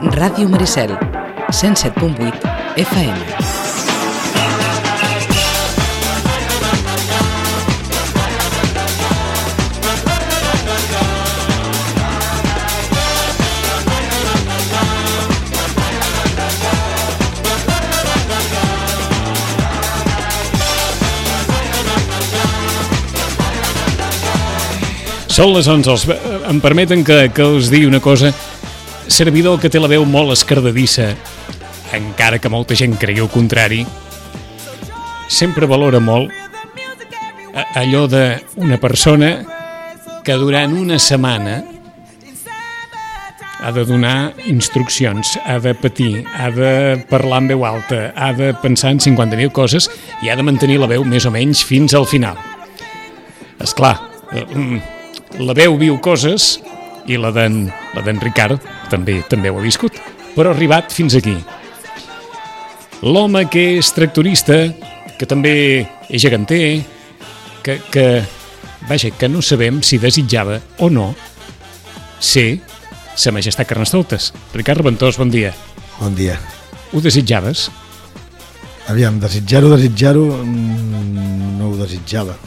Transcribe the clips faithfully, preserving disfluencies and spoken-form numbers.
Ràdio Maricel, cent set punt vuit F M. Són les onze, els, em permeten que, que us digui una cosa. Servidor que té la veu molt escardadissa, encara que molta gent cregui el contrari, sempre valora molt allò d'una persona que durant una setmana ha de donar instruccions, ha de patir, ha de parlar en veu alta, ha de pensar en cinquanta mil coses i ha de mantenir la veu més o menys fins al final. Esclar, la veu viu coses i la d'en la d'en Ricard també també ho ha viscut, però ha arribat fins aquí. L'home que és tractorista, que també és geganter, que, que, vaja, que no sabem si desitjava o no ser Sa Majestat Carnestoltes. Ricard Reventós, bon dia. Bon dia. Ho desitjaves? Aviam, desitjar-ho, desitjar-ho, no ho desitjava.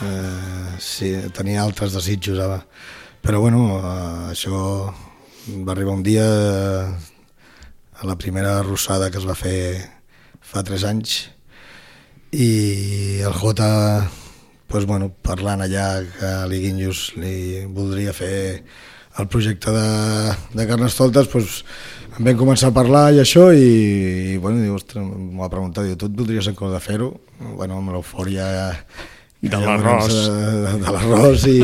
Uh, sí, tenia altres desitjos ara. Però bueno, uh, això va arribar un dia uh, a la primera arrossada que es va fer fa tres anys i el Jota, pues, bueno, parlant allà que l'Iguinhos li voldria fer el projecte de, de Carnestoltes, pues, em vam començar a parlar i això i, i bueno, diu, ostres, m'ho va preguntar, diu, tu et voldries encara de fer-ho? Bueno, amb l'eufòria de l'arròs de, de l'arròs i,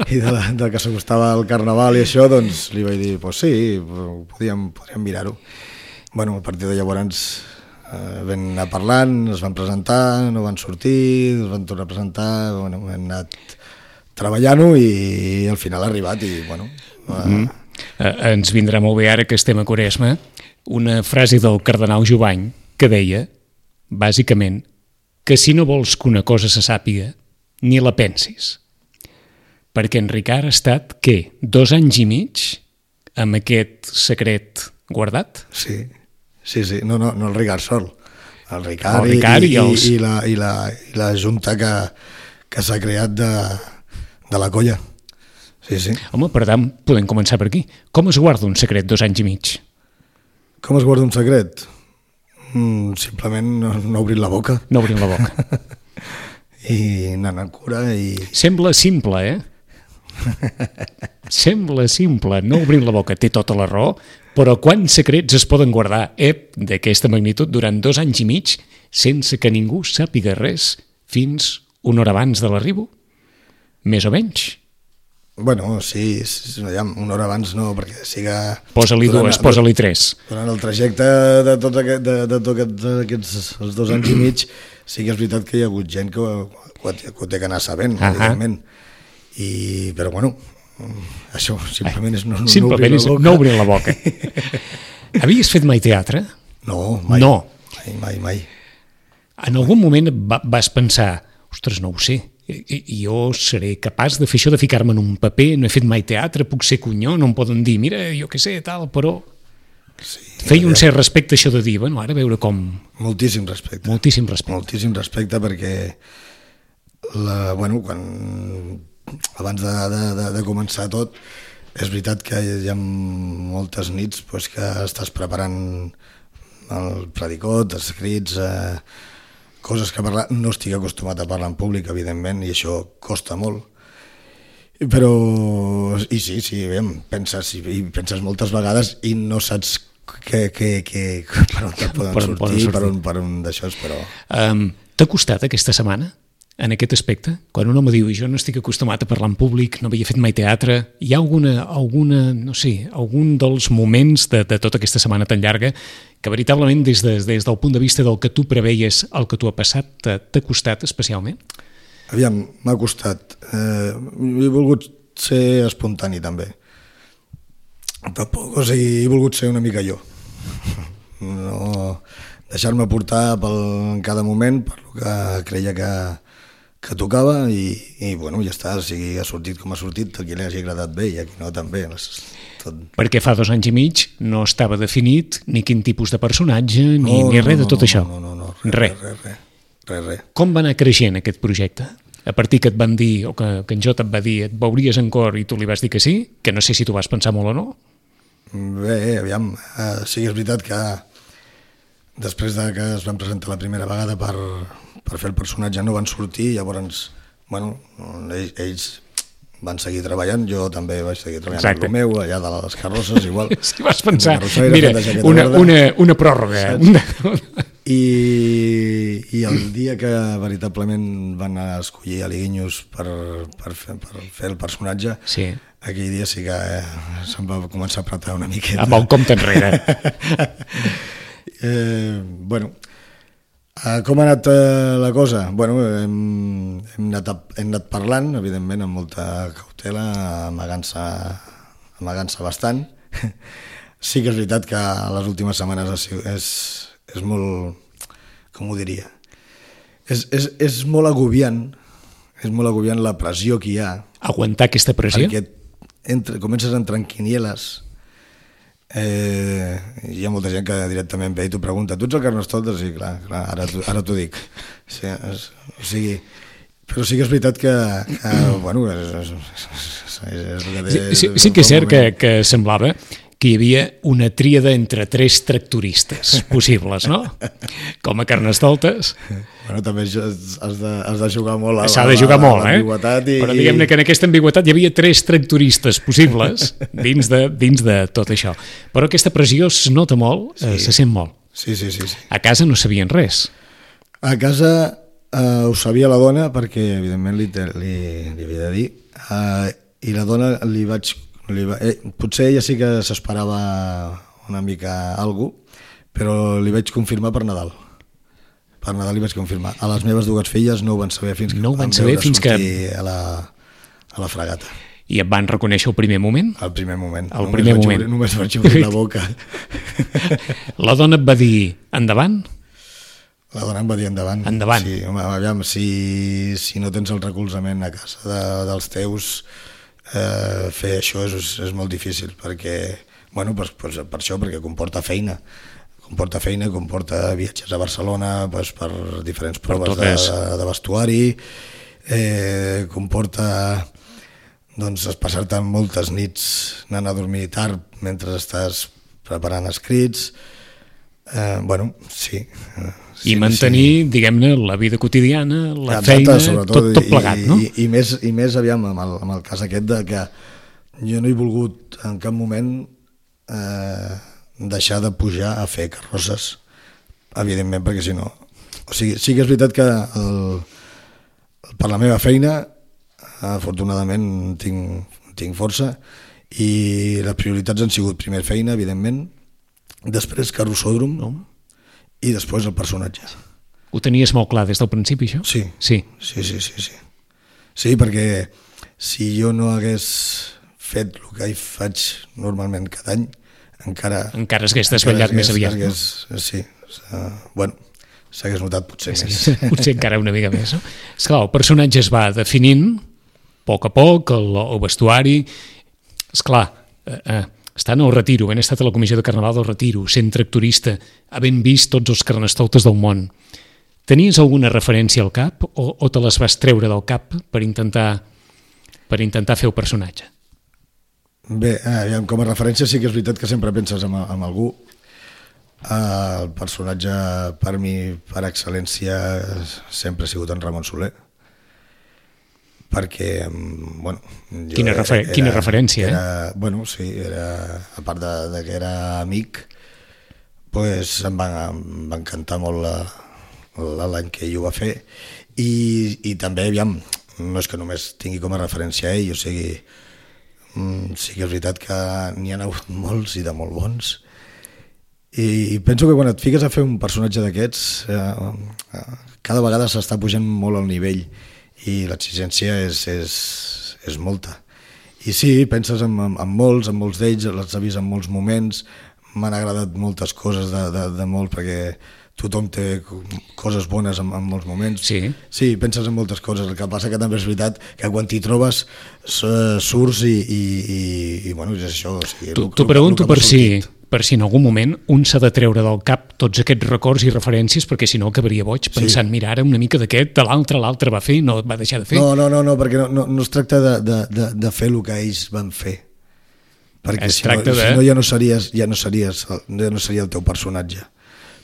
i de, la, de que s'acostava el carnaval i això, doncs li vaig dir, pues sí, podríem, podríem mirar-ho. Bueno, a partir de llavors eh, vam anar parlant, es van presentar, no van sortir, es van tornar a presentar, bueno, hem anat treballant-ho i al final ha arribat i bueno... Eh... Mm. Eh, ens vindrà molt bé ara que estem a Quaresma una frase del cardenal Jovany que deia, bàsicament, que si no vols que una cosa se sàpiga, ni la pensis. Perquè en Ricard ha estat, què, dos anys i mig amb aquest secret guardat? Sí, sí, sí. No, no, no el Ricard sol. El Ricard, el Ricard i, i, els... i, i, la, i, la, i la junta que, que s'ha creat de, de la colla. Sí, sí. Home, per tant, podem començar per aquí. Com es guarda un secret dos anys i mig? Com es guarda un secret? Mm, simplement no, no obrint la boca. No obrint la boca. I anant amb cura i... Sembla simple, eh? Sembla simple, no obrint la boca, té tota la raó, però quants secrets es poden guardar, eh, d'aquesta magnitud durant dos anys i mig sense que ningú sàpiga res fins una hora abans de l'arribo? Més o menys? Bueno, sí, una hora abans no, perquè siga... Posa-li dues, posa-li tres. Durant el trajecte de tot aquest, de, de tot aquest, aquests els dos anys i mig, sí que és veritat que hi ha hagut gent que ho, que ho té que anar sabent, uh-huh. evidentment. I, però bueno, això simplement és no, no, simplement no obrir la boca. No obrir la boca. Havies fet mai teatre? No, mai. No. Mai, mai, mai. En algun moment vas pensar, ostres, no ho sé, jo seré capaç de fer això, de ficar-me en un paper, no he fet mai teatre, puc ser cunyó, no em poden dir, mira, jo què sé, tal, però... Sí, feia un cert respecte això de dir, bueno, ara veure com... Moltíssim respecte. Moltíssim respecte. Moltíssim respecte perquè, la, bueno, quan... abans de, de, de, de començar tot, és veritat que hi ha moltes nits pues, que estàs preparant el predicot, els escrits... Eh, coses que parlar, no estic acostumat a parlar en públic, evidentment, i això costa molt. Però, i sí, sí, bé, penses, i penses moltes vegades i no saps que, que, que, per on te poden per sortir, sortir, per on, per on d'això és, però... Um, T'ha costat aquesta setmana, en aquest aspecte? Quan un home diu, jo no estic acostumat a parlar en públic, no havia fet mai teatre, hi ha alguna, alguna no sé, algun dels moments de, de tota aquesta setmana tan llarga que veritablement des, de, des del punt de vista del que tu preveies, el que tu ha passat, t'ha costat especialment? Aviam, m'ha costat. Eh, he volgut ser espontani, també. Tampoc, o sigui, he volgut ser una mica jo. No deixar-me portar pel, en cada moment per lo que creia que, que tocava i, i bueno, ja està, o sigui, ha sortit com ha sortit, a qui li hagi agradat bé i a qui no també. Tot... Perquè fa dos anys i mig no estava definit ni quin tipus de personatge ni, no, ni no, res no, de tot no, això. No, no, no, res, res. Res, res, res, res. Com va anar creixent aquest projecte? A partir que et van dir, o que, que en Jota et va dir, et veuries en cor i tu li vas dir que sí, que no sé si tu vas pensar molt o no? Bé, aviam, uh, sí que és veritat que després de que es van presentar la primera vegada per, per fer el personatge no van sortir, llavors, bueno, ells, ells van seguir treballant, jo també vaig seguir treballant amb el meu, allà de les carrosses, igual. Si vas pensar, mira, una, una, una pròrroga. Una... I, I el dia que veritablement van escollir a l'Iguinyos per, per, fer, per fer el personatge, sí. Aquell dia sí que eh, se'm va començar a apretar una miqueta. Amb el compte enrere. eh, bueno, eh, com ha anat eh, la cosa? Bueno, hem, hem, anat, hem anat parlant, evidentment, amb molta cautela, amagant-se amagant-se bastant. Sí que és veritat que les últimes setmanes és, és molt, com ho diria, és, és, és molt agobiant, és molt agobiant la pressió que hi ha. Aguantar aquesta pressió? Perquè entre, comences a entrar en quinieles, eh, hi ha molta gent que directament ve i t'ho pregunta, tu ets el Carnestoltes? Sí, clar, clar ara, ara t'ho dic. Sí, és, o sigui, però sí que és veritat que, que bueno, és, és, és, és el que té... Sí, sí, sí que és cert que, que semblava que hi havia una tríada entre tres tractoristes possibles, no? Com a Carnestoltes. Bueno, també has de, has de jugar molt a, S'ha de jugar a, molt, a l'ambigüetat. Eh? I... Però diguem-ne que en aquesta ambigüetat hi havia tres tractoristes possibles dins de, dins de tot això. Però aquesta pressió es nota molt, sí. eh, se sent molt. Sí, sí, sí, sí. A casa no sabien res. A casa eh, ho sabia la dona perquè, evidentment, li, li, li havia de dir. Eh, I la dona li vaig... Li va, eh, potser ella sí que s'esperava una mica alguna cosa, però li vaig confirmar per Nadal. Per Nadal li vaig confirmar. A les meves dues filles no ho van saber fins que no ho van van saber fins que a la, a la fregata. I et van reconèixer el primer moment? El primer moment. El només primer moment. Obrir, només vaig obrir la boca. La dona et va dir endavant? La dona em va dir endavant. Endavant. Sí, home, aviam, si, si no tens el recolzament a casa de, dels teus... Eh, fer això és, és molt difícil perquè, bueno, per, per, per això, perquè comporta feina comporta feina, comporta viatges a Barcelona pues, per diferents proves de, de vestuari, eh, comporta doncs, passar-te moltes nits anant a dormir tard mentre estàs preparant escrits, eh, bueno, sí, i sí, mantenir, sí. diguem-ne, la vida quotidiana, la Exacte, feina, sobretot, tot, tot plegat, i, no? I, i, més, i més, aviam, amb el, amb el cas aquest de que jo no he volgut en cap moment eh, deixar de pujar a fer carrosses, evidentment, perquè si no... O sigui, sí que és veritat que el, per la meva feina, afortunadament, tinc, tinc força, i les prioritats han sigut primer feina, evidentment, després carrossòdrom, no? I després el personatge. Ho tenies molt clar des del principi, això? Sí. Sí, sí, sí, sí, sí. Sí, perquè si jo no hagués fet el que faig normalment cada any, encara... Encara s'hagués desvetllat més aviat. Hagués, sí, bueno, s'hagués notat potser més. Potser encara una mica més, no? Esclar, el personatge es va definint, a poc a poc, el, el vestuari... Esclar, eh, eh, estant al retiro, ben estat a la comissió de Carnaval del Retiro, sent tractorista, havent vist tots els carnestoltes del món, tenies alguna referència al cap o, o te les vas treure del cap per intentar, per intentar fer el personatge? Bé, eh, com a referència sí que és veritat que sempre penses en, en algú. Eh, el personatge per mi, per excel·lència, sempre ha sigut en Ramon Soler. Perquè, bueno... Jo quina, refer era, quina referència, era, eh? Bueno, sí, era, a part de, de que era amic, pues em va, em va encantar molt l'any que ell ho va fer. I, i també, aviam, no és que només tingui com a referència ell, o sigui, sí que és veritat que n'hi ha hagut molts i de molt bons. I, i penso que quan et fiques a fer un personatge d'aquests, eh, cada vegada s'està pujant molt al nivell, i l'exigència és, és, és molta. I sí, penses en, en, en molts, en molts d'ells, els he vist en molts moments, m'han agradat moltes coses de, de, de molt, perquè tothom té coses bones en, en molts moments. Sí. Sí, penses en moltes coses. El que passa que també és veritat que quan t'hi trobes surts i, i, i, i bueno, és això. O sigui, T'ho pregunto per si, per si en algun moment un s'ha de treure del cap tots aquests records i referències, perquè si no acabaria boig pensant, sí. Mira, ara una mica d'aquest, de l'altre, l'altre va fer, no va deixar de fer. No, no, no, no perquè no, no, no es tracta de, de, de, de fer el que ells van fer. Perquè es si no, de... si no ja no series, ja no series, ja no seria el teu personatge.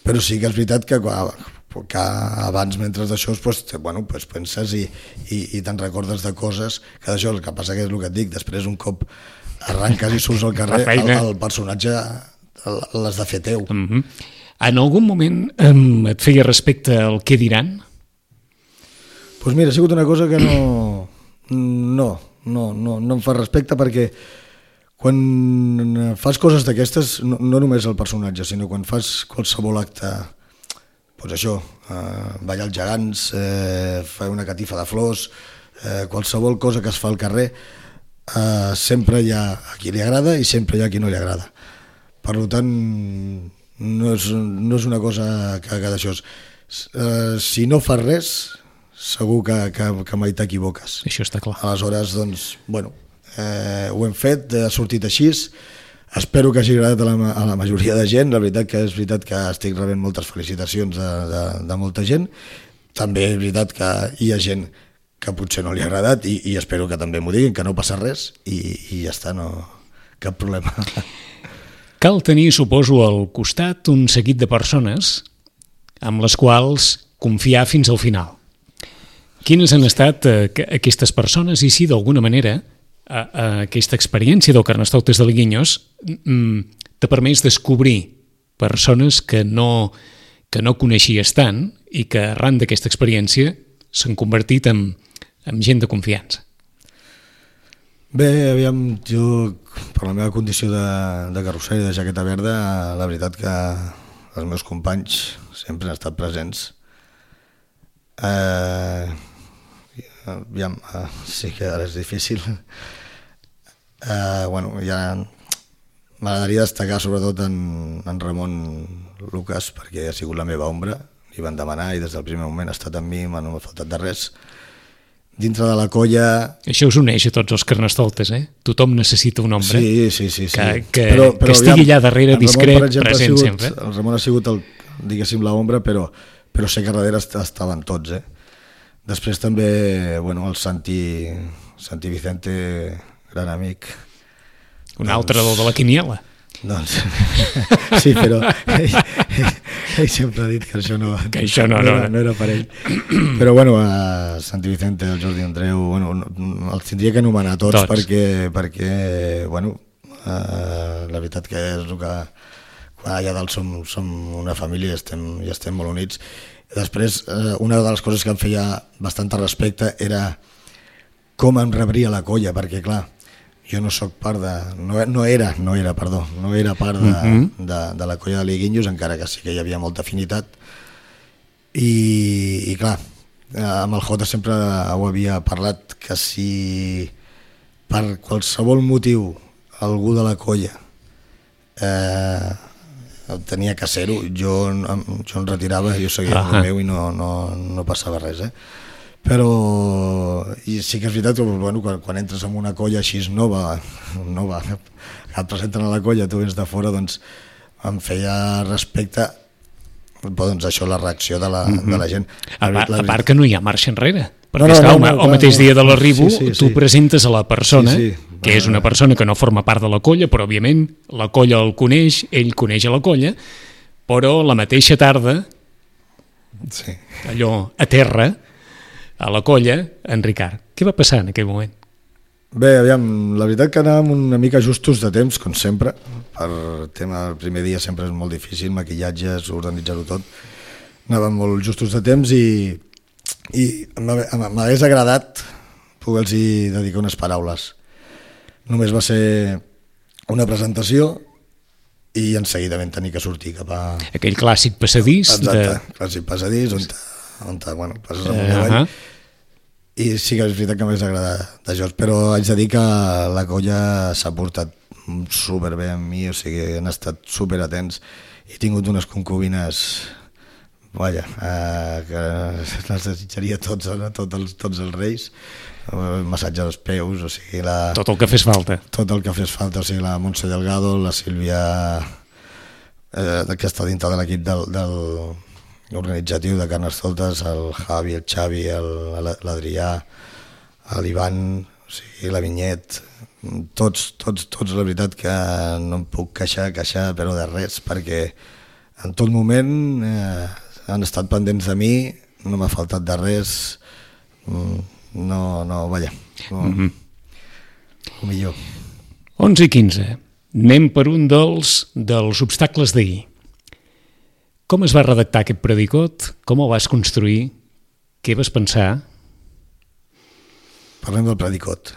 Però sí que és veritat que, que abans, mentre d'això, pues, bueno, pues penses i, i, i te'n recordes de coses que d'això, el que passa que és el que et dic, després un cop arranques i surts al carrer, el, el personatge l'has de fer teu. Mm-hmm. En algun moment um, et feia respecte al què diran? Doncs pues mira, ha sigut una cosa que no, no, no, no, no em fa respecte, perquè quan fas coses d'aquestes, no, no només el personatge, sinó quan fas qualsevol acte, doncs això, eh, ballar els gegants, eh, fer una catifa de flors, eh, qualsevol cosa que es fa al carrer, eh, sempre hi ha a qui li agrada i sempre hi ha a qui no li agrada. Per tant, no és, no és una cosa que, que d'això. Eh, si no fas res, segur que, que, que mai t'equivoques. Això està clar. Aleshores, doncs, bueno, Eh, ho hem fet, ha sortit així, espero que hagi agradat a la, a la majoria de gent. La veritat que és veritat que estic rebent moltes felicitacions de, de, de molta gent. També és veritat que hi ha gent que potser no li ha agradat i, i espero que també m'ho diguin, que no passa res i, i ja està, no, cap problema. Cal tenir, suposo, al costat un seguit de persones amb les quals confiar fins al final. Quines han estat eh, aquestes persones i si d'alguna manera a, a aquesta experiència del Carnestoltes de Liguinhos t'ha permès descobrir persones que no, que no coneixies tant i que arran d'aquesta experiència s'han convertit en, en gent de confiança. Bé, aviam, jo per la meva condició de, de carrosser i de jaqueta verda, la veritat que els meus companys sempre han estat presents. Eh, aviam, eh, sí que ara és difícil. Uh, bueno, ja m'agradaria destacar sobretot en, en Ramon Lucas, perquè ha sigut la meva ombra, li van demanar i des del primer moment ha estat amb mi, no m'ha faltat de res. Dintre de la colla... Això us uneix a tots els carnestoltes, eh? Tothom necessita un ombra sí, sí, sí, sí. que, que, però, però, que estigui allà darrere, Ramon, discret, exemple, present sigut, sempre. El Ramon ha sigut el, diguéssim, l'ombra, però, però sé que darrere estaven tots, eh? Després també, bueno, el Santi, Santi Vicente... gran amic. Un doncs, altre del de la quiniela. Doncs, sí, però ell, ell, ell sempre ha dit que això no, que això no, no, no, era, no era per ell. Però bueno, a Santi Vicente, el Jordi Andreu, bueno, els tindria que anomenar tots, tots. perquè, perquè bueno, eh, la veritat que és el que allà dalt som, som una família i estem, i estem molt units. Després, eh, una de les coses que em feia bastant respecte era com em rebria la colla, perquè clar, jo no sóc part de... No, no era, no era, perdó, no era part de, uh-huh. de, de la colla de Liguinhos, encara que sí que hi havia molta afinitat. I, i clar, amb el Jota sempre ho havia parlat, que si per qualsevol motiu algú de la colla eh, tenia que ser-ho, jo, jo em retirava, jo seguia uh-huh. el meu i no, no, no passava res, eh? Però i sí que és veritat que bueno, quan, quan entres en una colla així nova, nova que et presenten a la colla, tu vens de fora, doncs em feia respecte, doncs això, la reacció de la, mm-hmm. de la gent. A, la, a part que no hi ha marxa enrere, perquè no, no, esclar, no, no, el clar, mateix no. dia de l'arribo sí, sí, tu sí. presentes a la persona, sí, sí. que és una persona que no forma part de la colla, però òbviament la colla el coneix, ell coneix a la colla, però la mateixa tarda, sí. allò a terra, a la colla, en Ricard. Què va passar en aquell moment? Bé, aviam, la veritat que anàvem una mica justos de temps, com sempre. Per tema, el primer dia sempre és molt difícil, maquillatges, organitzar-ho tot. Anàvem molt justos de temps i, i m'hagués agradat poder-los dedicar unes paraules. Només va ser una presentació i en seguida vam tenir que sortir cap a... Aquell clàssic passadís. Exacte, de... clàssic passadís, on, on bueno, passes amunt i avall. Uh-huh. I sí que és veritat que m'hagués agradat d'això, però haig de dir que la colla s'ha portat superbé amb mi, o sigui, han estat superatents. He tingut unes concubines vaja, eh, que les desitjaria tots, tots, els, tots els reis, el massatge als peus, o sigui, la... Tot el que fes falta. Tot el que fes falta, o sigui, la Montse Delgado, la Sílvia, eh, que està dintre de l'equip del, del organitzatiu de Carnestoltes, el Javi, el Xavi, el, l'Adrià, l'Ivan, o sigui, la Vinyet, tots, tots, tots, la veritat que no em puc queixar, queixar, però de res, perquè en tot moment eh, han estat pendents de mi, no m'ha faltat de res, no, no, vaja, no, mm-hmm. el millor. onze i quinze, anem per un dels, dels obstacles d'ahir. Com es va redactar aquest predicot? Com el vas construir? Què vas pensar? Parlem del predicot.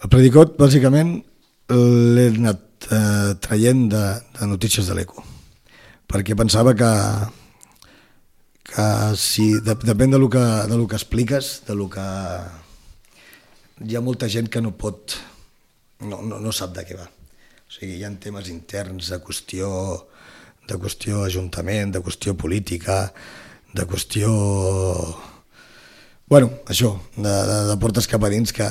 El predicot, bàsicament, l'he anat eh, traient de, de notícies de l'Eco, perquè pensava que, que si, de, depèn de lo que, de lo que expliques, de lo que... Hi ha molta gent que no pot, no, no, no sap de què va. O sigui, hi ha temes interns de qüestió, de qüestió ajuntament, de qüestió política, de qüestió... Bueno, això, de, de, de portes cap a dins que,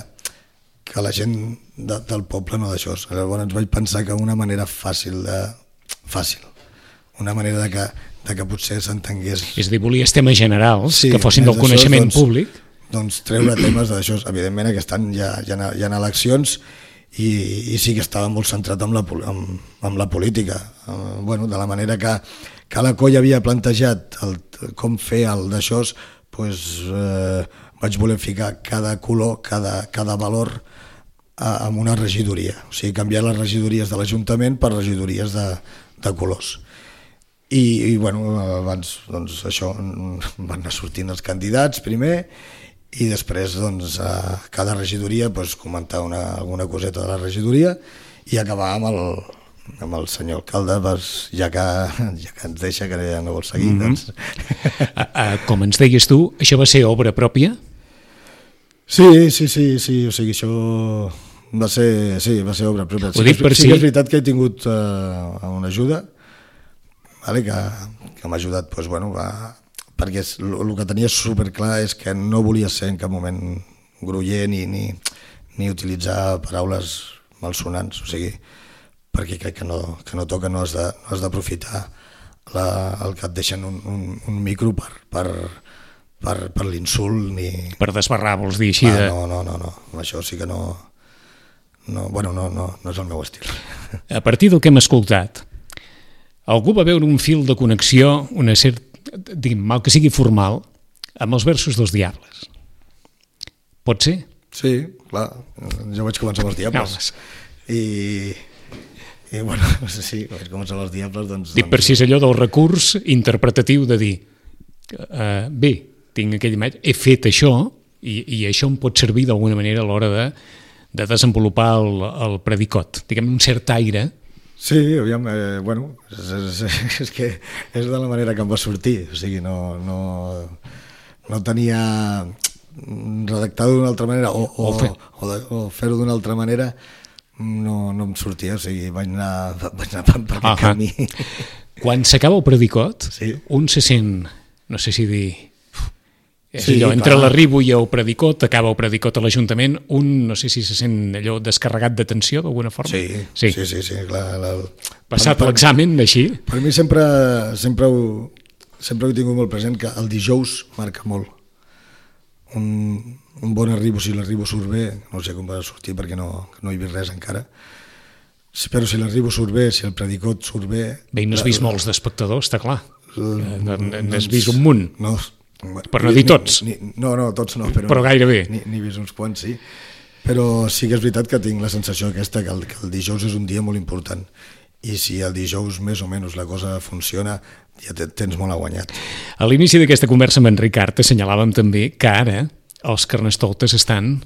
que la gent de, del poble no d'això. Llavors vaig pensar que una manera fàcil de... fàcil, una manera de que, de que potser s'entengués... És a dir, volies temes generals, sí, que fossin del d'això, coneixement doncs, públic. Doncs treure temes d'això. Evidentment aquest any hi ha, hi ha, hi ha eleccions i, i sí que estava molt centrat en la, en, en la política. Bueno, de la manera que, que la colla havia plantejat el, com fer el d'això, pues, eh, vaig voler ficar cada color, cada, cada valor a, en una regidoria. O sigui, canviar les regidories de l'Ajuntament per regidories de, de colors. I, i bueno, abans, doncs, això, van anar sortint els candidats primer i després, doncs, a cada regidoria pues, comentar una, alguna coseta de la regidoria i acabar amb el, amb el senyor alcalde, pues, ja, que, ja que ens deixa, que ja no vol seguir. Mm-hmm. doncs. a, a, com ens deies tu, això va ser obra pròpia? Sí, sí, sí, sí, o sigui, això va ser, sí, va ser obra pròpia. Ho dic per sí, si... sí que és veritat que he tingut uh, una ajuda, vale, que, que m'ha ajudat, pues, bueno, va, perquè el que tenia superclar és que no volia ser en cap moment groller ni, ni, ni utilitzar paraules malsonants, o sigui, perquè crec que no, que no toca, no has de, no has d'aprofitar el que et deixen un, un, un micro per, per, per, per l'insult ni... Per desbarrar, vols dir així? Ah, de... no, no, no, no, això sí que no, no, bueno, no, no, no és el meu estil. A partir del que hem escoltat, algú va veure un fil de connexió, una cert, diguem, mal que sigui formal, amb els versos dels Diables. Pot ser? Sí, clar, jo vaig començar amb els Diables. No, I... I bueno, sí, vaig començar amb els Diables, doncs... Dic per si és allò del recurs interpretatiu de dir uh, bé, tinc aquella imatge, he fet això i, i això em pot servir d'alguna manera a l'hora de, de desenvolupar el, el predicot. Diguem, un cert aire. Sí, aviam, eh, bueno, és, és, és que és de la manera que em va sortir, o sigui, no, no, no tenia redactat d'una altra manera o, o, o, fer. o, o fer-ho d'una altra manera. No, no em sortia, o sigui, vaig anar, vaig anar per, per aquest camí. Quan s'acaba el predicot, sí. un se sent, no sé si dir, és sí, allò, clar. entre l'arribo i el predicot, acaba el predicot a l'Ajuntament, un no sé si se sent allò descarregat d'atenció d'alguna forma. Sí, sí, sí, sí, sí clar. La, Passat per, l'examen, així? Per mi sempre, sempre, ho, sempre ho he tingut molt present, que el dijous marca molt. Un, un bon arribo, si l'arribo surt bé, no sé com va sortir perquè no, no he vist res encara, però si l'arribo surt bé, si el predicot surt bé... Bé, i n'has vist molts d'espectadors, està clar. N'has vist un munt, no, per no dir tots. Ni, ni, no, no, tots no, però, però gairebé. N'he vist uns quants, sí. Però sí que és veritat que tinc la sensació aquesta, que el, que el dijous és un dia molt important. I si el dijous més o menys la cosa funciona, ja tens molt guanyat. A l'inici d'aquesta conversa amb en Ricard assenyalàvem també que ara els Carnestoltes estan,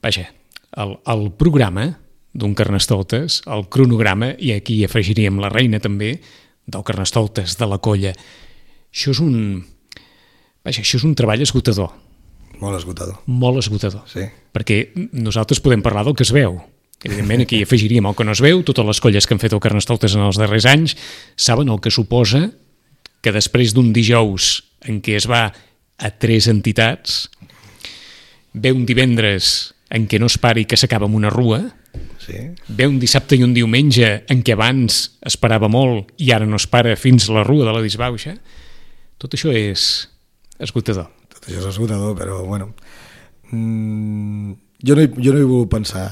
vaja, el, el programa d'un Carnestoltes, el cronograma, i aquí afegiríem la reina també, del Carnestoltes, de la colla. Això és un, vaja, això és un treball esgotador. Molt esgotador. Molt esgotador. Sí. Perquè nosaltres podem parlar del que es veu. Evidentment, aquí afegiríem el que no es veu, totes les colles que han fet el Carnestoltes en els darrers anys saben el que suposa que després d'un dijous en què es va a tres entitats, ve un divendres en què no es pari que s'acaba amb una rua, Sí. ve un dissabte i un diumenge en què abans es parava molt i ara no es para fins a la rua de la disbauxa, tot això és esgotador. Tot això és esgotador, però bueno, mm, jo, no hi, jo no hi vull pensar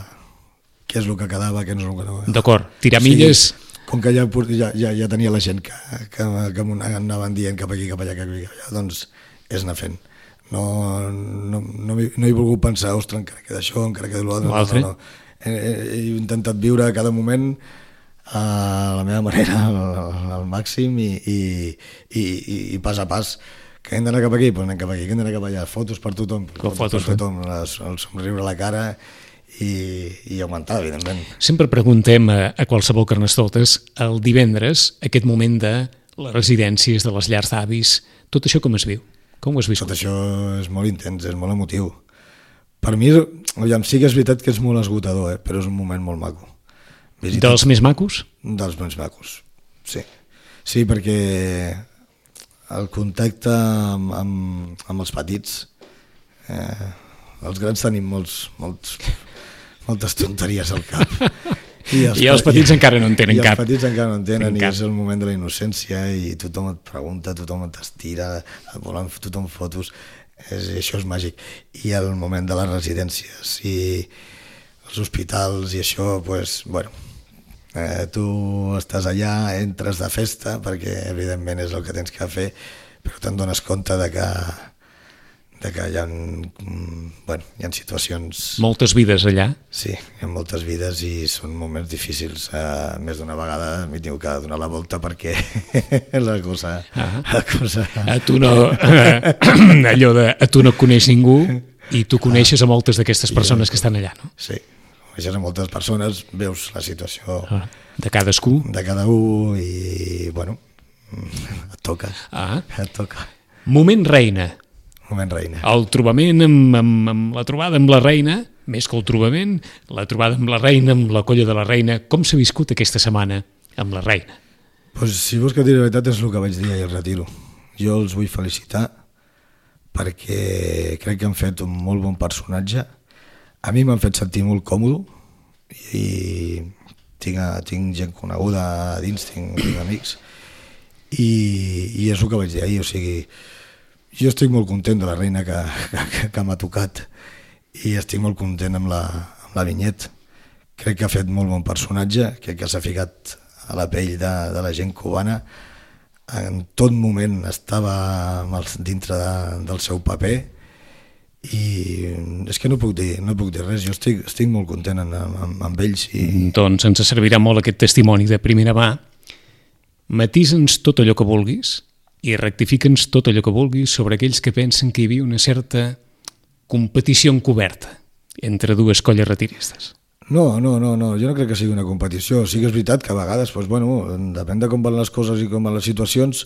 què és el que quedava, què no és el que no. D'acord, tirar milles... Sí, com que ja, ja, ja, ja tenia la gent que, que, que anaven dient cap aquí, cap allà, cap aquí, cap allà, doncs és anar fent. No, no, no, hi, no he volgut pensar, ostres, encara queda això, encara queda l'altre. L'altre. No, no. He, he intentat viure cada moment a la meva manera, al, al màxim i, i, i, i pas a pas. Que hem d'anar cap aquí, doncs anem cap aquí, que hem d'anar cap allà, fotos per tothom, Com fotos, fotos, per tothom, les, el somriure a la cara i, i augmentar, evidentment. Sempre preguntem a, a qualsevol Carnestoltes el divendres, aquest moment de les residències, de les llars d'avis, tot això com es viu? Com ho has viscut? Tot això és molt intens, és molt emotiu. Per mi, aviam, sí que és veritat que és molt esgotador, eh? Però és un moment molt maco. Visitar... Dels més macos? Dels més macos, sí. Sí, perquè el contacte amb, amb, amb els petits, eh, els grans tenim molts, molts, moltes tonteries al cap. I els, I els petits i, encara no en tenen i cap. I els petits encara no en tenen, en i cap. És el moment de la innocència, i tothom et pregunta, tothom t'estira, et volen tothom fotos, és, això és màgic. I el moment de les residències i els hospitals i això, pues, bueno, eh, tu estàs allà, entres de festa, perquè evidentment és el que tens que fer, però te'n dones compte de que de que hi ha, bueno, hi ha situacions... Moltes vides allà? Sí, hi ha moltes vides i són moments difícils. Uh, més d'una vegada m'hi tinc que donar la volta perquè la cosa... Ah. La cosa... A tu no... allò de... A tu no coneix ningú i tu coneixes a moltes d'aquestes persones que estan allà, no? Sí, coneixes a moltes persones, veus la situació... Ah, de cadascú? De cada un i, bueno, et toca. Ah. Et toca. Moment reina. Moment reina. El trobament amb, amb, amb la trobada amb la reina, més que el trobament, la trobada amb la reina, amb la colla de la reina, com s'ha viscut aquesta setmana amb la reina? Pues, si vols que et digui la veritat és el que vaig dir ahir al retiro. Jo els vull felicitar perquè crec que han fet un molt bon personatge. A mi m'han fet sentir molt còmode i tinc, tinc gent coneguda a dins, tinc, tinc amics i, i és el que vaig dir ahir, o sigui, jo estic molt content de la reina que, que, que m'ha tocat i estic molt content amb la, amb la Vinyet. Crec que ha fet molt bon personatge, crec que s'ha ficat a la pell de, de la gent cubana. En tot moment estava el, dintre de, del seu paper i és que no puc dir, no puc dir res, jo estic, estic molt content amb, amb, amb ells. I... Doncs ens servirà molt aquest testimoni de primera mà. Matisa'ns tot allò que vulguis i rectifica'ns tot allò que vulguis sobre aquells que pensen que hi havia una certa competició encoberta entre dues colles retiristes. No, no, no, no, jo no crec que sigui una competició. Sí que és veritat que a vegades, doncs, bueno, depèn de com van les coses i com van les situacions,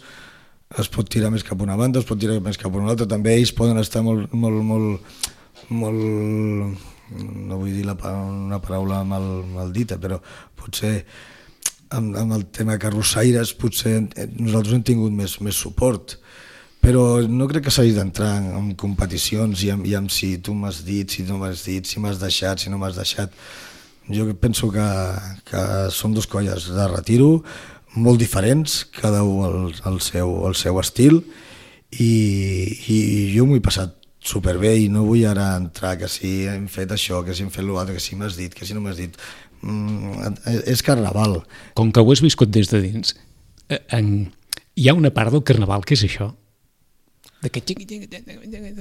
es pot tirar més cap a una banda, es pot tirar més cap a una altra. També ells poden estar molt, molt, molt, molt, no vull dir la, una paraula mal, maldita, però potser amb, amb el tema carrossaires potser nosaltres hem tingut més, més suport, però no crec que s'hagi d'entrar en, en competicions i amb, i amb si tu m'has dit, si no m'has dit, si m'has deixat, si no m'has deixat. Jo penso que, que són dos colles de retiro molt diferents, cada un el, el, seu, el seu estil i, i jo m'ho he passat superbé i no vull ara entrar que si hem fet això, que si hem fet l'altre, que si m'has dit, que si no m'has dit. Mm, és carnaval. Com que ho has viscut des de dins, en... hi ha una part del carnaval que és això? De que...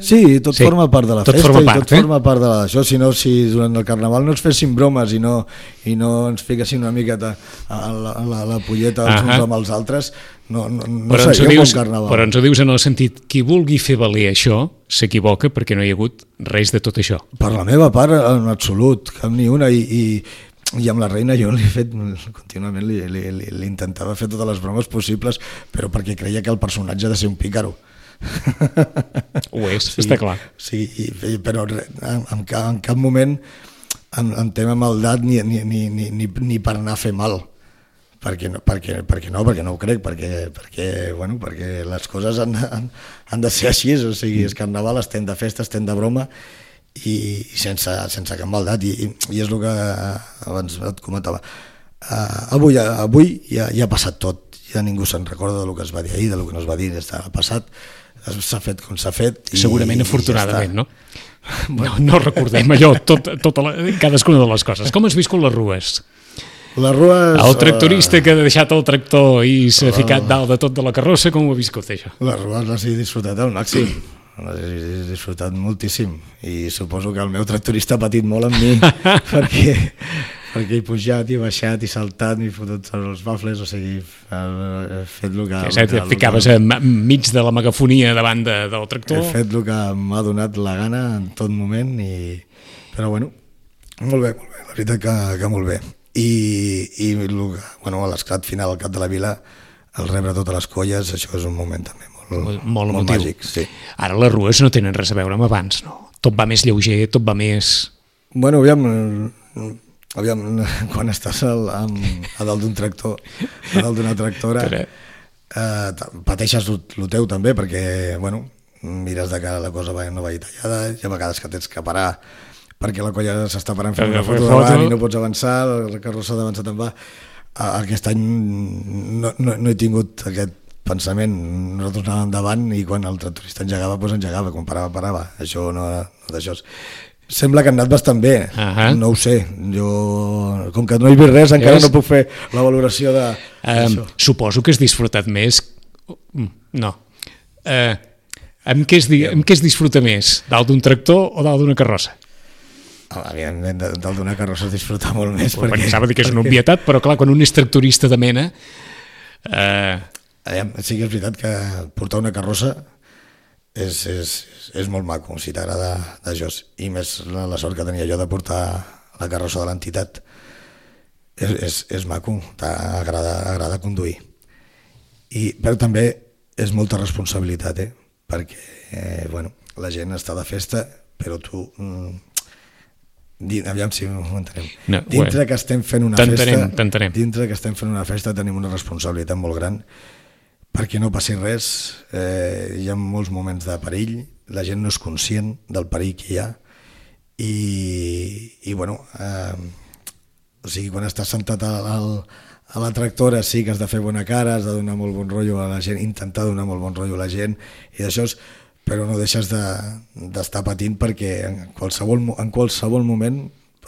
Sí, tot sí, forma part de la tot festa forma i part, tot eh? forma part de la... això, si no, si durant el carnaval no ens fessin bromes i no, i no ens fiquessin una miqueta a la, a la, a la polleta els uns amb els altres, no, no, no seria un bon carnaval. Però ens ho dius en el sentit, qui vulgui fer valer això s'equivoca perquè no hi ha hagut res de tot això. Per la meva part, en absolut, cap ni una, i, i i amb la reina jo li he fet contínuament li, li, li, li intentava fer totes les bromes possibles, però perquè creia que el personatge ha de ser un pícaro. Ho és, sí, està clar. Sí, i, però en, en, cap, en cap moment en, en tema maldat ni, ni, ni, ni, ni per anar a fer mal, perquè no, perquè, perquè no, perquè no ho crec, perquè, perquè, bueno, perquè les coses han, han, han de ser així, o sigui, és carnaval, estem de festa, estem de broma, i, i sense, sense cap maldat, i, i és el que abans et comentava. Uh, avui avui ja, ja ha passat tot, ja ningú se'n recorda del que es va dir ahir, del que no es va dir, està passat, s'ha fet com s'ha fet. I, segurament afortunadament, ja no? No, no recordem allò, tot, tota la, cadascuna de les coses. Com has viscut les rues? Les rues... El tractorista que ha deixat el tractor i s'ha ficat dalt de tot de la carrossa, com ho ha viscut, això? Les rues les he disfrutat al màxim, les he disfrutat moltíssim, i suposo que el meu tractorista ha patit molt amb mi, perquè, perquè he pujat i he baixat i saltat i he fotut els bafles, o sigui, he fet el que... Que et ficaves enmig de la megafonia davant de, del tractor. He fet el que m'ha donat la gana en tot moment, i... però bueno, molt bé, molt bé, la veritat que, que molt bé. I, i el, bueno, l'esclat final al cap de la vila, el rebre totes les colles, això és un moment també molt, molt, molt, molt màgic. Sí. Ara les rues no tenen res a veure amb abans, no? Tot va més lleuger, tot va més... Bueno, aviam... Aviam, quan estàs al, amb, a dalt d'un tractor, a dalt d'una tractora, eh, pateixes el teu també, perquè, bueno, mires de cara la cosa no vagi tallada, hi ha vegades que tens que parar perquè la colla s'està parant fent una foto davant i no pots avançar, la carrossa d'avançar te'n va. Aquest any no, no, no he tingut aquest pensament, nosaltres anàvem endavant i quan el tractorista engegava, doncs engegava, quan parava, parava, això no, no d'això. Sembla que han anat bastant bé, uh-huh. No ho sé, jo, com que no he vist res, encara no puc fer la valoració de... Um, suposo que has disfrutat més... No. Uh, amb, què es, amb què es disfruta més? Dalt d'un tractor o dalt d'una carrossa? Evidentment, dalt d'una carrossa es disfruta molt més. Perquè, perquè s'ha de dir que és una obvietat, però clar, quan un és tractorista de mena... Uh... Sí que és veritat que portar una carrossa és, és, és molt maco, si t'agrada d'això, i més la, la sort que tenia jo de portar la carrossa de l'entitat, és, és, és maco, t'agrada agrada conduir. I, però també és molta responsabilitat, eh? Perquè eh, bueno, la gent està de festa, però tu... Mm, aviam si ho entenem. No, dintre que estem fent una festa, dintre que estem fent una festa tenim una responsabilitat molt gran, perquè no passi res, eh, hi ha molts moments de perill, la gent no és conscient del perill que hi ha, i, i bueno, eh, o sigui, quan estàs sentat al, al, a la tractora sí que has de fer bona cara, has de donar molt bon rotllo a la gent, intentar donar molt bon rotllo a la gent, i d'això és, però no deixes d'estar de, patint perquè en qualsevol, en qualsevol moment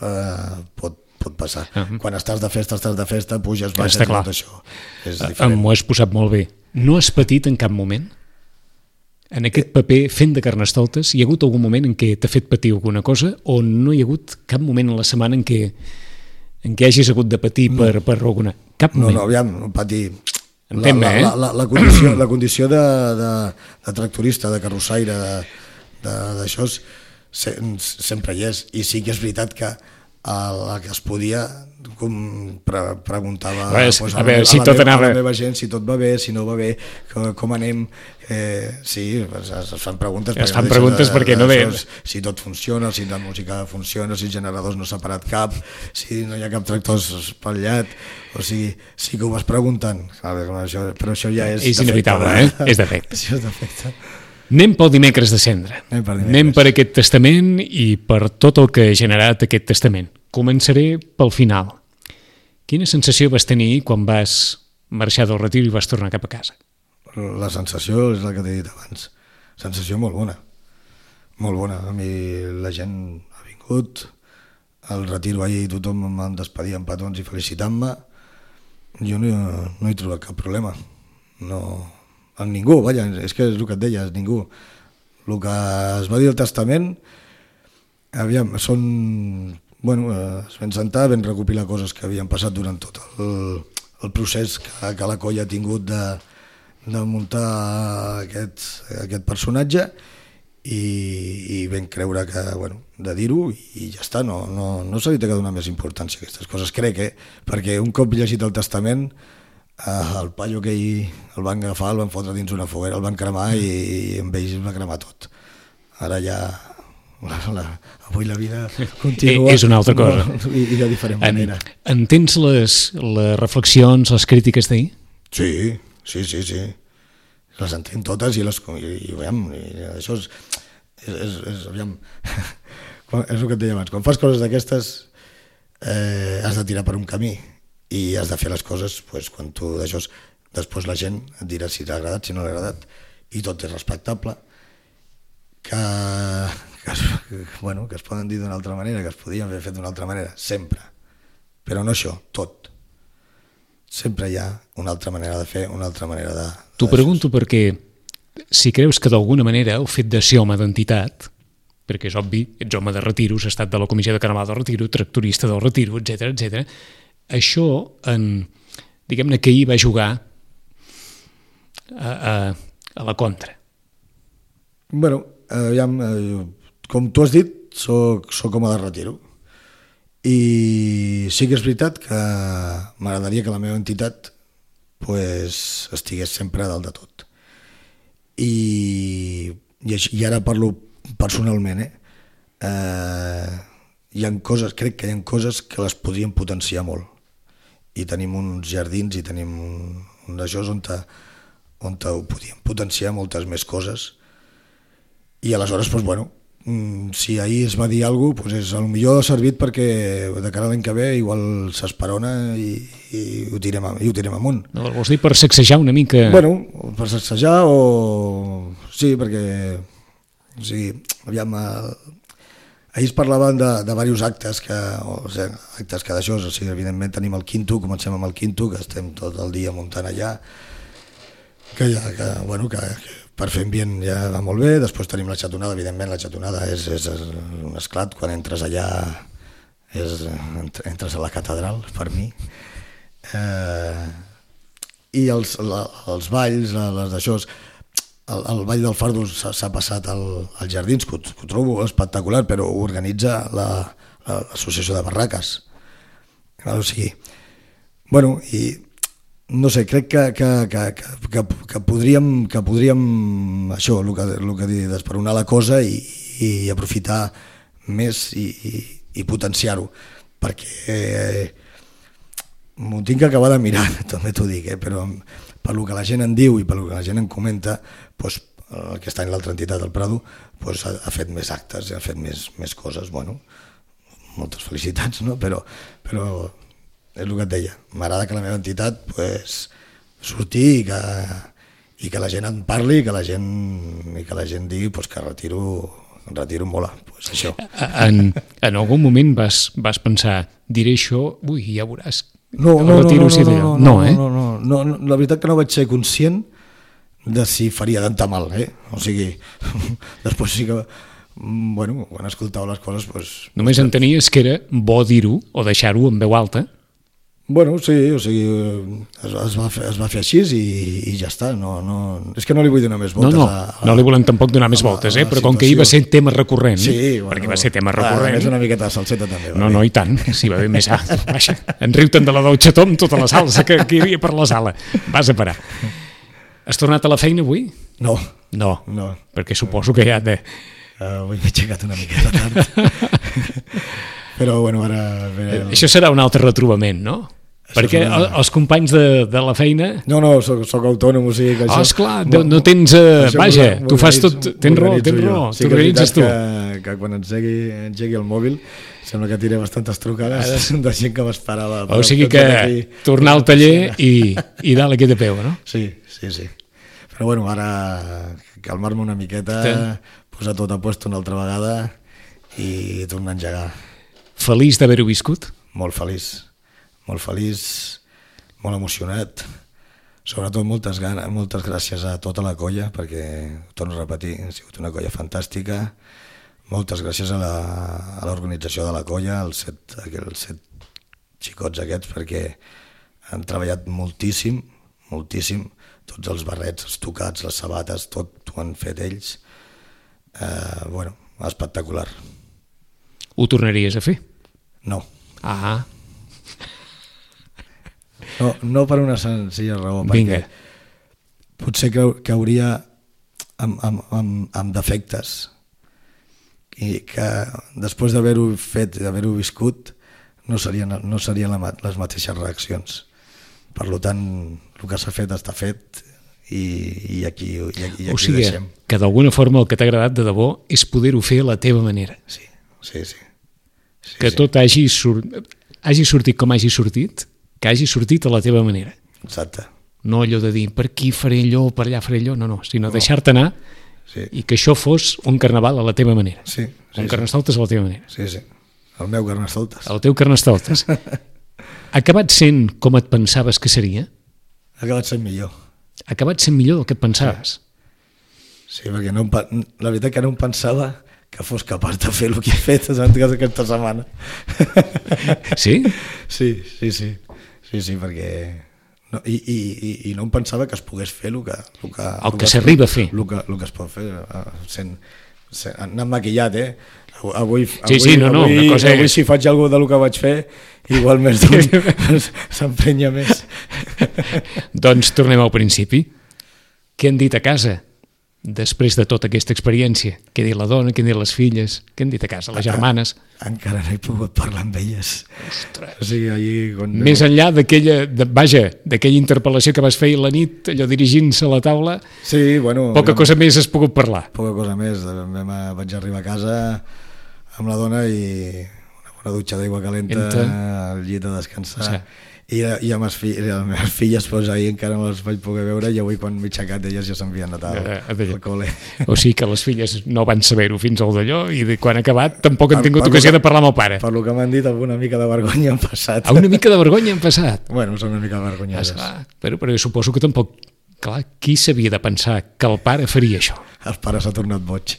eh, pot, pot passar. Uh-huh. Quan estàs de festa, estàs de festa, puges, baixes, tot això. És diferent. M'ho has posat molt bé. No has patit en cap moment? En aquest paper, fent de Carnestoltes, hi ha hagut algun moment en què t'ha fet patir alguna cosa o no hi ha hagut cap moment a la setmana en què, en què hagis hagut de patir no. per, per alguna... Cap moment? No, no, aviam, patir... La, la, la, la, la condició, la condició de, de, de tractorista, de carrossaire, d'això, se, sempre hi és. I sí que és veritat que el que es podia com pre preguntava pues, pues, a, a, veure, si a, tot la anava... a la meva gent si tot va bé, si no va bé, com, com anem, eh, sí, es, es fan preguntes, es fan preguntes de, perquè no ve si tot funciona, si la música funciona, si els generadors no s'ha parat cap, si no hi ha cap tractor espatllat, o sigui, sí que ho vas preguntant, això, però això ja és és inevitable, eh? És defecte. Això és defecte. Anem pel dimecres de cendra. Anem per, Anem per aquest testament i per tot el que ha generat aquest testament. Començaré pel final. Quina sensació vas tenir quan vas marxar del retir i vas tornar cap a casa? La sensació és la que t'he dit abans. Sensació molt bona. Molt bona. A mi la gent ha vingut, al retiro ahir tothom em despedia amb petons i felicitant-me. Jo no, no he trobat cap problema. No... amb ningú, vaja, és que és el que et deia, és ningú. El que es va dir al testament, aviam, són, bueno, es van sentar, van recopilar coses que havien passat durant tot el, el procés que, que la colla ha tingut de, de muntar aquest, aquest personatge i, i vam creure que, bueno, de dir-ho i ja està, no, no, no se li té que donar més importància a aquestes coses, crec, eh? Perquè un cop llegit el testament, el paio que ell el van agafar, el van fotre dins una foguera, el van cremar i, i amb ells va cremar tot. Ara ja la, la, avui la vida continua. És una altra cosa. No, i, I de diferent manera. En, entens les, les reflexions, les crítiques d'ahir? Sí, sí, sí, sí. Les entenc totes i les... I, i, aviam, i això és... és, és, és aviam, és el que et deia abans. Quan fas coses d'aquestes eh, has de tirar per un camí i has de fer les coses pues, quan tu d'això... Després la gent et dirà si t'ha agradat, si no l'ha agradat, i tot és respectable, que, que, es, bueno, que es poden dir d'una altra manera, que es podien haver fet d'una altra manera, sempre. Però no això, tot. Sempre hi ha una altra manera de fer, una altra manera de... T'ho pregunto perquè si creus que d'alguna manera el fet de ser home d'entitat, perquè és obvi, ets home de retiro, has estat de la comissió de Carnaval del Retiro, tractorista del Retiro, etcètera, etcètera, això, en, diguem-ne que hi va jugar a, a, a la contra. Bueno, aviam, com tu has dit, soc, soc home de retiro. I sí que és veritat que m'agradaria que la meva entitat pues, estigués sempre a dalt de tot. I, i, i ara parlo personalment, eh? Eh, hi ha coses, crec que hi ha coses que les podríem potenciar molt. I tenim uns jardins i tenim un, un d'això on, te, on te ho podíem potenciar moltes més coses. I aleshores, doncs, bueno, si ahir es va dir alguna cosa, doncs és, potser ha servit perquè de cara a l'any que ve igual s'esperona i, i, ho tirem, i ho tirem amunt. No, vols dir per sacsejar una mica? Bueno, per sacsejar o... Sí, perquè... O sigui, aviam... Ahir es parlaven de, de diversos actes que, o sigui, actes que d'això, o sigui, evidentment tenim el quinto, comencem amb el quinto, que estem tot el dia muntant allà, que, ja, que, bueno, que, que per fer ambient ja va molt bé. Després tenim la xatonada, evidentment la xatonada és, és, és un esclat, quan entres allà és, entres a la catedral, per mi. Eh, I els, la, els balls, les d'això... El, el Ball del Fardo s'ha passat al, als jardins, que ho, que ho trobo espectacular, però ho organitza l'associació la, de barraques. O sigui, bueno, i no sé, crec que, que, que, que, que, podríem, que podríem això, el que, el que dius, desperonar la cosa i, i aprofitar més i, i, i potenciar-ho, perquè eh, m'ho tinc que acabar de mirar, també t'ho dic, eh, però per lo que la gent en diu i per lo que la gent en comenta, doncs, aquest any l'altra entitat, el Prado, doncs, ha, ha fet més actes, ha fet més, més coses, bueno, moltes felicitats, no? però, però és el que et deia, m'agrada que la meva entitat pues, surti i que, i que la gent en parli i que la gent, i que la gent digui pues, que retiro, retiro mola, pues, això. En, en algun moment vas, vas pensar, diré això, ui, ja veuràs. No, no, no, no, no, no, no, eh? no, no, no, no, la veritat que no vaig ser conscient de si faria tant mal, eh? O sigui, després sí que, bueno, quan escoltava les coses... Pues, només entenies que era bo dir-ho o deixar-ho en veu alta? Bueno, sí, o sigui, es, es, va, fer, es va fer així i, i ja està. No, no, és que no li vull donar més voltes. No, no, a, a, no li volem tampoc donar més voltes, eh? Però com que ahir va ser tema recurrent, sí, bueno, perquè va ser tema recurrent... És una miqueta de salseta també. No, no, i tant, si va bé més... Ah, vaja, en riu-te'n de la Dolcetó amb tota la salsa que, que hi havia per la sala. Vas a parar. Has tornat a la feina avui? No. No, no. Perquè suposo que ja... De... Uh, avui m'he aixecat una miqueta tard. Però, bueno, ara... El... Això serà un altre retrobament, no? Perquè una... els companys de, de la feina... No, no, soc, soc autònom, o sigui que això... Oh, esclar, no, no tens... Uh, vaja, tu fas tot... Tens raó, tens raó, sí, t'organitzes tu. Que, que quan engegui, engegui el mòbil sembla que tiré bastantes trucades de gent que m'esperava. O sigui que tornar al taller i, i dalt aquí de peu, no? Sí, sí, sí. Però bueno, ara calmar-me una miqueta, posar tot a puesto una altra vegada i tornar a engegar. Feliç d'haver-ho viscut? Molt feliç. Molt feliç, molt emocionat, sobretot moltes, ganes, moltes gràcies a tota la colla, perquè, torno a repetir, ha sigut una colla fantàstica, moltes gràcies a l'organització de la colla, els set, els set xicots aquests, perquè han treballat moltíssim, moltíssim, tots els barrets, els tocats, les sabates, tot ho han fet ells, eh, bueno, espectacular. Ho tornaries a fer? No. Ah, No, no per una senzilla raó, Vinga. perquè potser que, que hauria amb, amb, amb, amb defectes i que després d'haver-ho fet i d'haver-ho viscut no serien, no serien les mateixes reaccions. Per tant, el que s'ha fet està fet i, i aquí, i aquí, i aquí o sigui, deixem. Que d'alguna forma el que t'ha agradat de debò és poder-ho fer a la teva manera. Sí, sí, sí. sí que sí. tot hagi, sur... hagi sortit com hagi sortit, que hagi sortit a la teva manera. Exacte. No allò de dir, per aquí faré allò, per allà faré allò, no, no, sinó no. deixar-te anar sí. i que això fos un carnaval a la teva manera. Sí, sí, un sí. carnestoltes a la teva manera. Sí, sí. El meu carnestoltes. El teu carnestoltes. Ha acabat sent com et pensaves que seria? Ha acabat sent millor. Ha acabat sent millor del que et pensaves. Sí, perquè no em, la veritat que no em pensava que fos capaç de fer el que he fet aquesta setmana. Sí? Sí, sí, sí. Sí, sí, perquè... No, i, i, i, i no em pensava que es pogués fer el que... El que, el el que s'arriba a fer. El que, el que es pot fer, sent, sent, anant maquillat, eh? Avui, sí, avui, sí, no, no, avui, una cosa avui és... si faig alguna del que vaig fer, igual més d'un s'emprenya més. Doncs tornem al principi. Què han dit a casa després de tota aquesta experiència? Què ha dit la dona, què han dit les filles, què han dit a casa, les germanes? Encara no he pogut parlar amb elles. Ostres. O sigui, allí, quan... Més enllà d'aquella, de, vaja, d'aquella interpel·lació que vas fer a la nit, allò dirigint-se a la taula, sí, bueno, poca cosa més has pogut parlar. Poca cosa més. Vam, vaig arribar a casa amb la dona i una bona dutxa d'aigua calenta, Entra. al llit a descansar. O sigui, I, i amb les, filles, les meves filles pues, ahir encara no les vaig poder veure i avui quan m'he aixecat elles ja s'envien anat al, al col·le. O sigui que les filles no van saber-ho fins al d'allò i de quan ha acabat tampoc han tingut ocasió que, de parlar amb el pare. Per lo que m'han dit, alguna mica de vergonya han passat. A una mica de vergonya han passat? Bueno, són una mica vergonyoses. Ah, però, però suposo que tampoc... Clar, qui s'havia de pensar que el pare faria això? El pare s'ha tornat boig.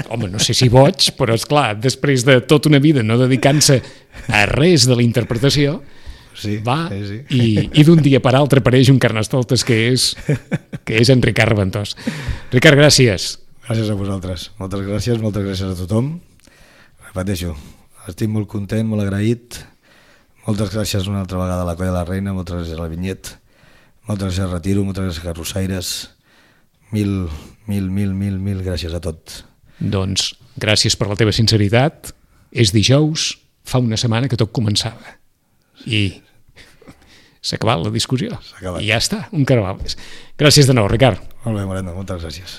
Home, no sé si boig, però és clar, després de tota una vida no dedicant-se a res de la interpretació, sí, va sí, sí. i, i d'un dia per altre apareix un carnestoltes que és, que és en Ricard Reventós. Ricard, gràcies. Gràcies a vosaltres. Moltes gràcies, moltes gràcies a tothom. Repeteixo, estic molt content, molt agraït. Moltes gràcies una altra vegada a la Colla de la Reina, moltes gràcies a la Vinyet, moltes gràcies a Retiro, moltes gràcies a Carrossaires. Mil, mil, mil, mil, mil gràcies a tots. Doncs gràcies per la teva sinceritat. És dijous, fa una setmana que tot començava. I s'ha acabat la discussió. I ja està, un carnaval més. Gràcies de nou, Ricard. Molt bé, Moreno, moltes gràcies.